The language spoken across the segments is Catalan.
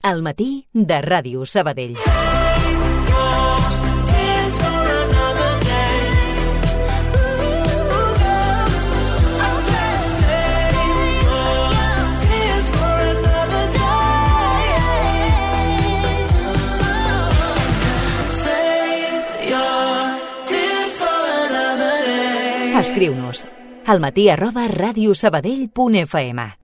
Al matí de Ràdio Sabadell. Escriu-nos almatí@radiosabadell.fm.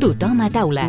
Tothom a taula.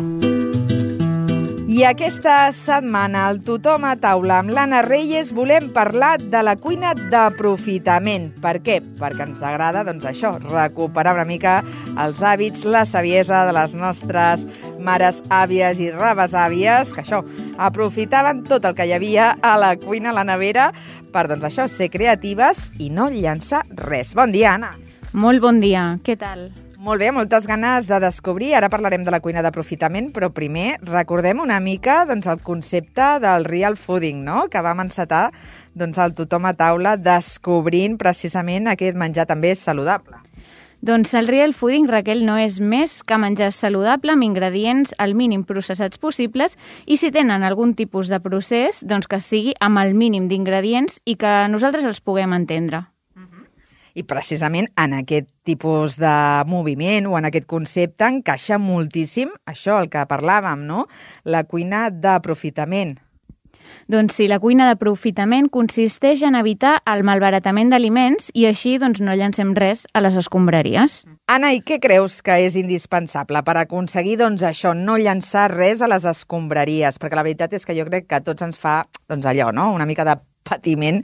I aquesta setmana al Tothom a taula amb l'Anna Reyes volem parlar de la cuina d'aprofitament. Per què? Perquè ens agrada, doncs això, recuperar una mica els hàbits, la saviesa de les nostres mares, àvies i rebesàvies, que això, aprofitaven tot el que hi havia a la cuina, a la nevera, per, doncs això, ser creatives i no llançar res. Bon dia, Anna. Molt bon dia, què tal? Molt bé, moltes ganes de descobrir. Ara parlarem de la cuina d'aprofitament, però primer recordem una mica doncs, el concepte del real fooding, no? Que vam encetar doncs, el Tothom a taula descobrint precisament aquest menjar també saludable. Doncs el real fooding, Raquel, no és més que menjar saludable amb ingredients al mínim processats possibles i si tenen algun tipus de procés, doncs que sigui amb el mínim d'ingredients i que nosaltres els puguem entendre. I precisament en aquest tipus de moviment o en aquest concepte encaixa moltíssim això, el que parlàvem, no? La cuina d'aprofitament. Doncs sí, la cuina d'aprofitament consisteix en evitar el malbaratament d'aliments i així doncs, no llancem res a les escombraries. Anna, i què creus que és indispensable per aconseguir doncs, això, no llançar res a les escombraries? Perquè la veritat és que jo crec que a tots ens fa doncs, allò, no? Una mica de patiment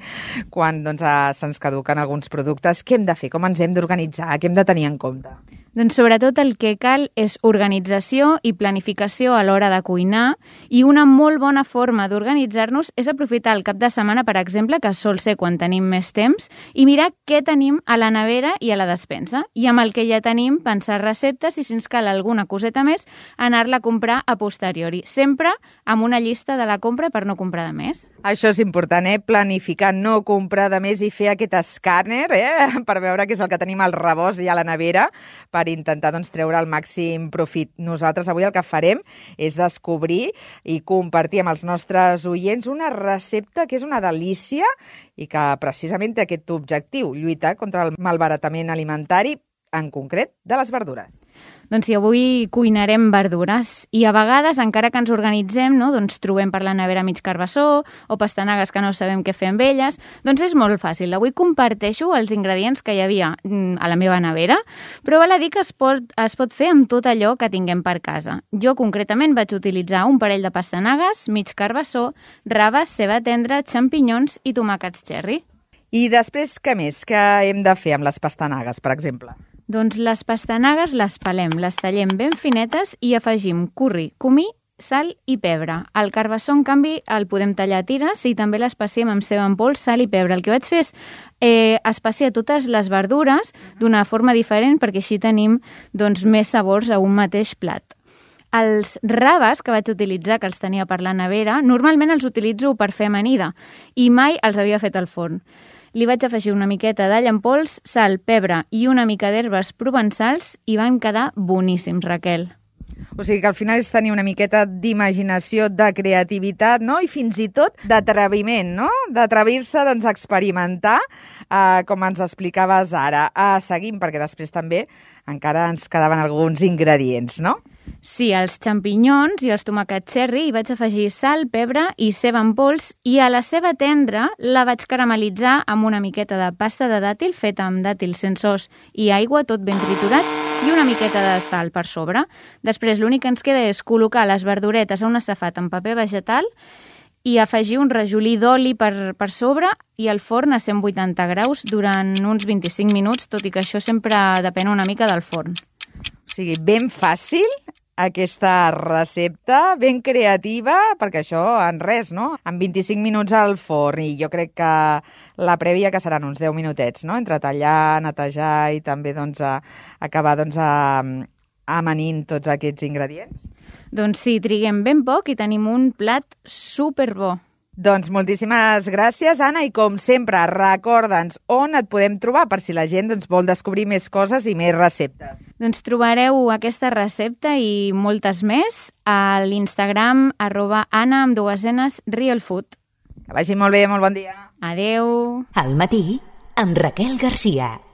quan doncs, se'ns caduquen alguns productes. Què hem de fer? Com ens hem d'organitzar? Què hem de tenir en compte? Doncs sobretot el que cal és organització i planificació a l'hora de cuinar i una molt bona forma d'organitzar-nos és aprofitar el cap de setmana, per exemple, que sol ser quan tenim més temps, i mirar què tenim a la nevera i a la despensa. I amb el que ja tenim, pensar receptes i si ens cal alguna coseta més, anar-la a comprar a posteriori. Sempre amb una llista de la compra per no comprar de més. Això és important, planificar, no comprar de més i fer aquest escàner per veure què és el que tenim al rebost i a la nevera per intentar doncs, treure el màxim profit. Nosaltres avui el que farem és descobrir i compartir amb els nostres oients una recepta que és una delícia i que precisament té aquest objectiu, lluitar contra el malbaratament alimentari, en concret de les verdures. Doncs sí, avui cuinarem verdures i a vegades, encara que ens organitzem, no, doncs trobem per la nevera mig carbassó o pastanagues que no sabem què fer amb elles, doncs és molt fàcil. Avui comparteixo els ingredients que hi havia a la meva nevera, però val a dir que es pot fer amb tot allò que tinguem per casa. Jo concretament vaig utilitzar un parell de pastanagues, mig carbassó, raves, ceba tendra, xampinyons i tomàquets cherry. I després, què més? Què hem de fer amb les pastanagues, per exemple? Doncs les pastanagues les pelem, les tallem ben finetes i afegim curri, comí, sal i pebre. El carbassó, en canvi, el podem tallar a tires i també l'espaciem amb ceba en pols, sal i pebre. El que vaig fer és espaciar totes les verdures d'una forma diferent perquè així tenim doncs, més sabors a un mateix plat. Els raves que vaig utilitzar, que els tenia per la nevera, normalment els utilitzo per fer amanida i mai els havia fet al forn. Li vaig afegir una miqueta d'all en pols, sal, pebre i una mica d'herbes provençals i van quedar boníssims, Raquel. O sigui que al final és tenir una miqueta d'imaginació, de creativitat, no? I fins i tot d'atreviment, no? D'atrevir-se doncs, a experimentar, com ens explicaves ara. Seguim, perquè després també encara ens quedaven alguns ingredients, no? Sí, els xampinyons i els tomàquets cherry hi vaig afegir sal, pebre i ceba en pols i a la ceba tendra la vaig caramelitzar amb una miqueta de pasta de dàtil feta amb dàtils sense os i aigua, tot ben triturat i una miqueta de sal per sobre. Després l'únic que ens queda és col·locar les verduretes a un safat amb paper vegetal i afegir un rajolí d'oli per sobre i al forn a 180 graus durant uns 25 minuts, tot i que això sempre depèn una mica del forn. O sigui, ben fàcil aquesta recepta, ben creativa, perquè això en res, no? En 25 minuts al forn i jo crec que la prèvia que seran uns 10 minutets, no? Entre tallar, netejar i també doncs, acabar doncs, amanint tots aquests ingredients. Doncs sí, triguem ben poc i tenim un plat superbo. Doncs moltíssimes gràcies, Anna, i com sempre, recorda'ns on et podem trobar per si la gent vol descobrir més coses i més receptes. Doncs trobareu aquesta recepta i moltes més a l'Instagram @Anna_realfood. Que vagi molt bé, molt bon dia. Adeu. Al matí, amb Raquel Garcia.